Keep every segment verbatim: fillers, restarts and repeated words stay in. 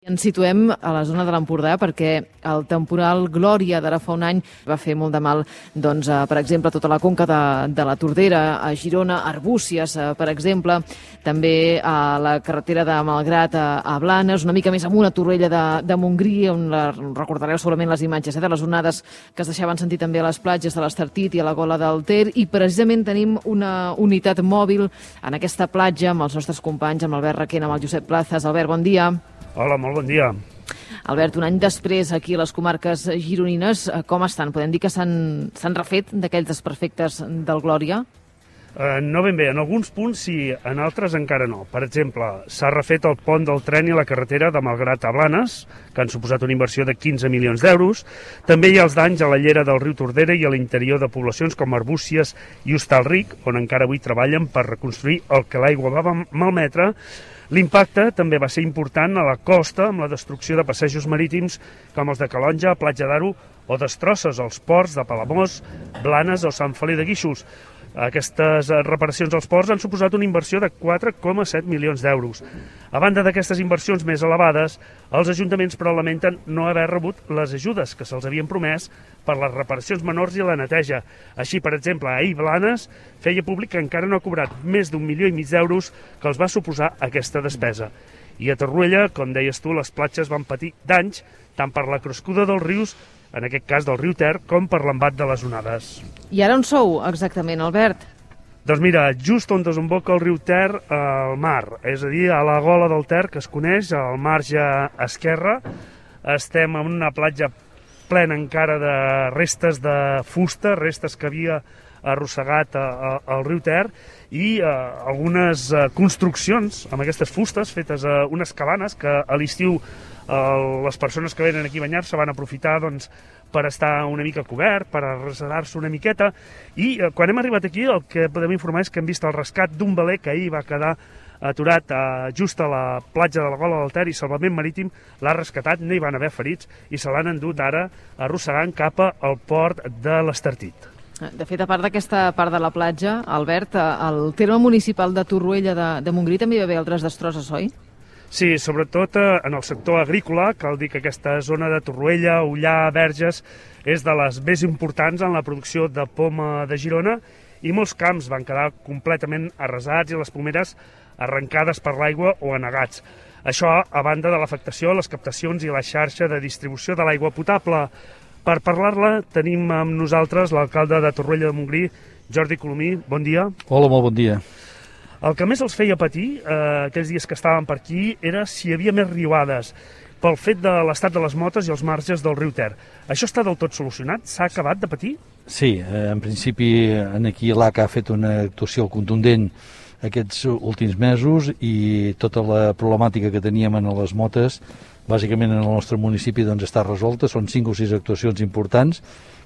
Ens situem a la zona de l'Empordà perquè el temporal Glòria d'ara fa un any va fer molt de mal, doncs, a, per exemple, a tota la conca de, de la Tordera, a Girona, a Arbúcies, a, per exemple, també a la carretera de Malgrat a, a Blanes, una mica més amunt a Torroella de, de Montgrí, on la, recordareu segurament les imatges eh, de les onades que es deixaven sentir també a les platges de l'Estartit i a la Gola del Ter, i precisament tenim una unitat mòbil en aquesta platja amb els nostres companys, amb l'Albert Requena, amb el Josep Plazas. Albert, bon dia. Hola, molt bon dia. Albert, un any després aquí a les comarques gironines, com estan? Podem dir que s'han refet d'aquells desperfectes del Glòria? Uh, no ben bé, en alguns punts sí, en altres encara no. Per exemple, s'ha refet el pont del tren i la carretera de Malgrat a Blanes, que han suposat una inversió de quinze milions d'euros. També hi ha els danys a la llera del riu Tordera i a l'interior de poblacions com Arbúcies i Hostalric, on encara avui treballen per reconstruir el que l'aigua va malmetre. L'impacte també va ser important a la costa amb la destrucció de passejos marítims com els de Calonja, Platja d'Aro o destrosses als ports de Palamós, Blanes o Sant Feliu de Guíxols. Aquestes reparacions als ports han suposat una inversió de quatre coma set milions d'euros. A banda d'aquestes inversions més elevades, els ajuntaments però lamenten no haver rebut les ajudes que se'ls havien promès per les reparacions menors i la neteja. Així, per exemple, ahir Blanes feia públic que encara no ha cobrat més d'un milió i mig d'euros que els va suposar aquesta despesa. I a Torroella, com deies tu, les platges van patir danys tant per la crescuda dels rius, en aquest cas del riu Ter, com per l'embat de les onades. I ara on sou exactament, Albert? Doncs mira, just on desemboca el riu Ter al mar, és a dir, a la Gola del Ter, que es coneix, al marge esquerre, estem en una platja plena encara de restes de fusta, restes que havia arrossegat al riu Ter, i eh, algunes eh, construccions amb aquestes fustes fetes a eh, unes cabanes que a l'estiu eh, les persones que venen aquí a banyar-se van aprofitar doncs, per estar una mica cobert, per arrasar-se una miqueta, i eh, quan hem arribat aquí el que podem informar és que hem vist el rescat d'un veler que ahir va quedar aturat eh, just a la platja de la Gola del Ter, i Salvament Marítim l'ha rescatat, no hi van haver ferits i se l'han endut ara arrossegant cap al port de l'Estartit. De fet, a part d'aquesta part de la platja, Albert, al terme municipal de Torroella de, de Montgrí també hi va haver altres destrosses, oi? Sí, sobretot en el sector agrícola. Cal dir que aquesta zona de Torroella, Ullà, Verges, és de les més importants en la producció de poma de Girona, i molts camps van quedar completament arrasats i les pomeres arrencades per l'aigua o anegats. Això a banda de l'afectació a les captacions i la xarxa de distribució de l'aigua potable. Per parlar-la tenim amb nosaltres l'alcalde de Torroella de Montgrí, Jordi Colomí. Bon dia. Hola, molt bon dia. El que més els feia patir eh, aquells dies que estàvem per aquí era si hi havia més riuades pel fet de l'estat de les motes i els marges del riu Ter. Això està del tot solucionat? S'ha acabat de patir? Sí, eh, en principi aquí l'A C A ha fet una actuació contundent aquests últims mesos, i tota la problemàtica que teníem en les motes bàsicament en el nostre municipi doncs, està resolta. Són cinc o sis actuacions importants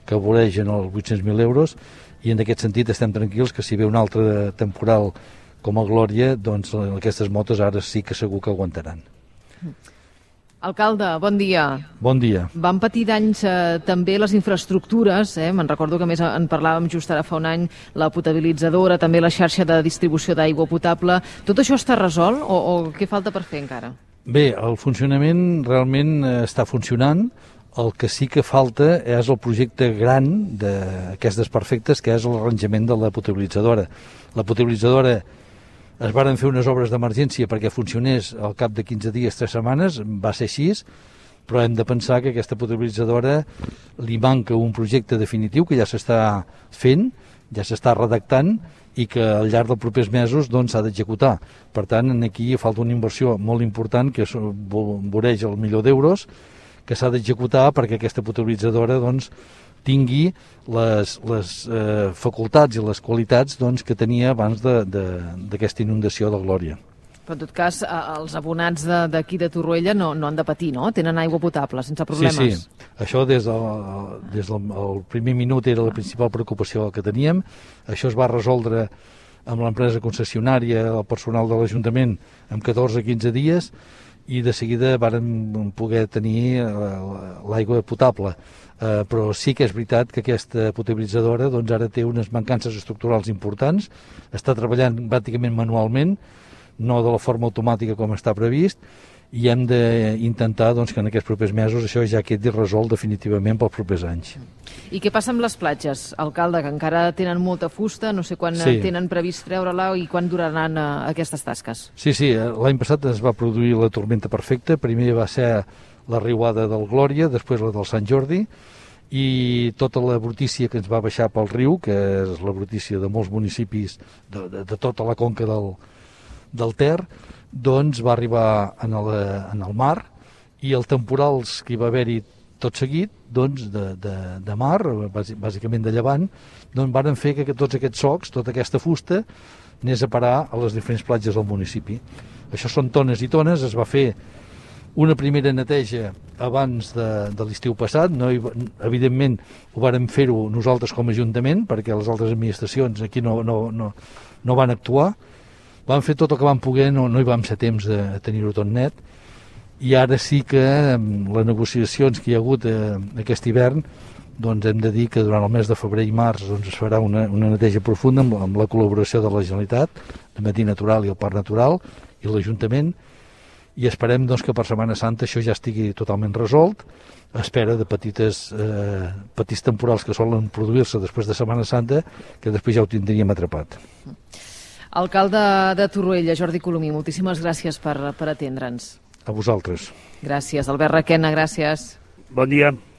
que voregen els vuit-cents mil euros, i en aquest sentit estem tranquils que si ve un altre temporal com el Glòria, doncs aquestes motos ara sí que segur que aguantaran. Alcalde, bon dia. Bon dia. Van patir danys eh, també les infraestructures, eh? Me'n recordo que més en parlàvem just ara fa un any, la potabilitzadora, també la xarxa de distribució d'aigua potable. Tot això està resolt o, o què falta per fer encara? Bé, el funcionament realment està funcionant. El que sí que falta és el projecte gran d'aquests desperfectes, que és l'arranjament de la potabilitzadora. La potabilitzadora es varen fer unes obres d'emergència perquè funcionés al cap de quinze dies, tres setmanes, va ser així, però hem de pensar que aquesta potabilitzadora li manca un projecte definitiu que ja s'està fent, ja s'està redactant, i que al llarg dels propers mesos doncs, s'ha d'executar. Per tant, aquí falta una inversió molt important que voreja el milió d'euros, que s'ha d'executar perquè aquesta potabilitzadora doncs, tingui les, les eh, facultats i les qualitats doncs, que tenia abans d'aquesta inundació de Glòria. Però en tot cas, els abonats d'aquí de, de Torroella no, no han de patir, no? Tenen aigua potable, sense problemes. Sí, sí. Això des del, des del el primer minut era la principal preocupació que teníem. Això es va resoldre amb l'empresa concessionària, el personal de l'Ajuntament, en catorze a quinze dies, i de seguida vàrem poder tenir l'aigua potable. Eh, però sí que és veritat que aquesta potabilitzadora doncs, ara té unes mancances estructurals importants, està treballant pràcticament manualment, no de la forma automàtica com està previst, i hem d'intentar doncs, que en aquests propers mesos això ja quedi resolt definitivament pels propers anys. I què passa amb les platges, alcalde, que encara tenen molta fusta, no sé quan sí. tenen previst treure-la i quan duraran uh, aquestes tasques? Sí, sí, l'any passat es va produir la tormenta perfecta, primer va ser la riuada del Glòria, després la del Sant Jordi, i tota la brutícia que ens va baixar pel riu, que és la brutícia de molts municipis de, de, de tota la conca del, del Ter, doncs va arribar en el, en el mar, i els temporals que hi va haver-hi tot seguit, doncs de, de, de mar, bàsicament de llevant, doncs van fer que tots aquests socs, tota aquesta fusta, anés a parar a les diferents platges del municipi. Això són tones i tones, es va fer una primera neteja abans de, de l'estiu passat, no hi, evidentment ho vàrem fer-ho nosaltres com a Ajuntament, perquè les altres administracions aquí no, no, no, no van actuar, vam fer tot el que vam poder, no, no hi vam ser temps de tenir-ho tot net, i ara sí que amb les negociacions que hi ha hagut eh, aquest hivern, doncs hem de dir que durant el mes de febrer i març doncs es farà una, una neteja profunda amb, amb la col·laboració de la Generalitat, de Medi Natural i el Parc Natural i l'Ajuntament, i esperem doncs, que per Setmana Santa això ja estigui totalment resolt, a espera de petites, eh, petits temporals que solen produir-se després de Setmana Santa, que després ja ho tindríem atrapat. Alcalde de Torroella, Jordi Colomí, moltíssimes gràcies per, per atendre'ns. A vosaltres. Gràcies. Albert Requena, gràcies. Bon dia.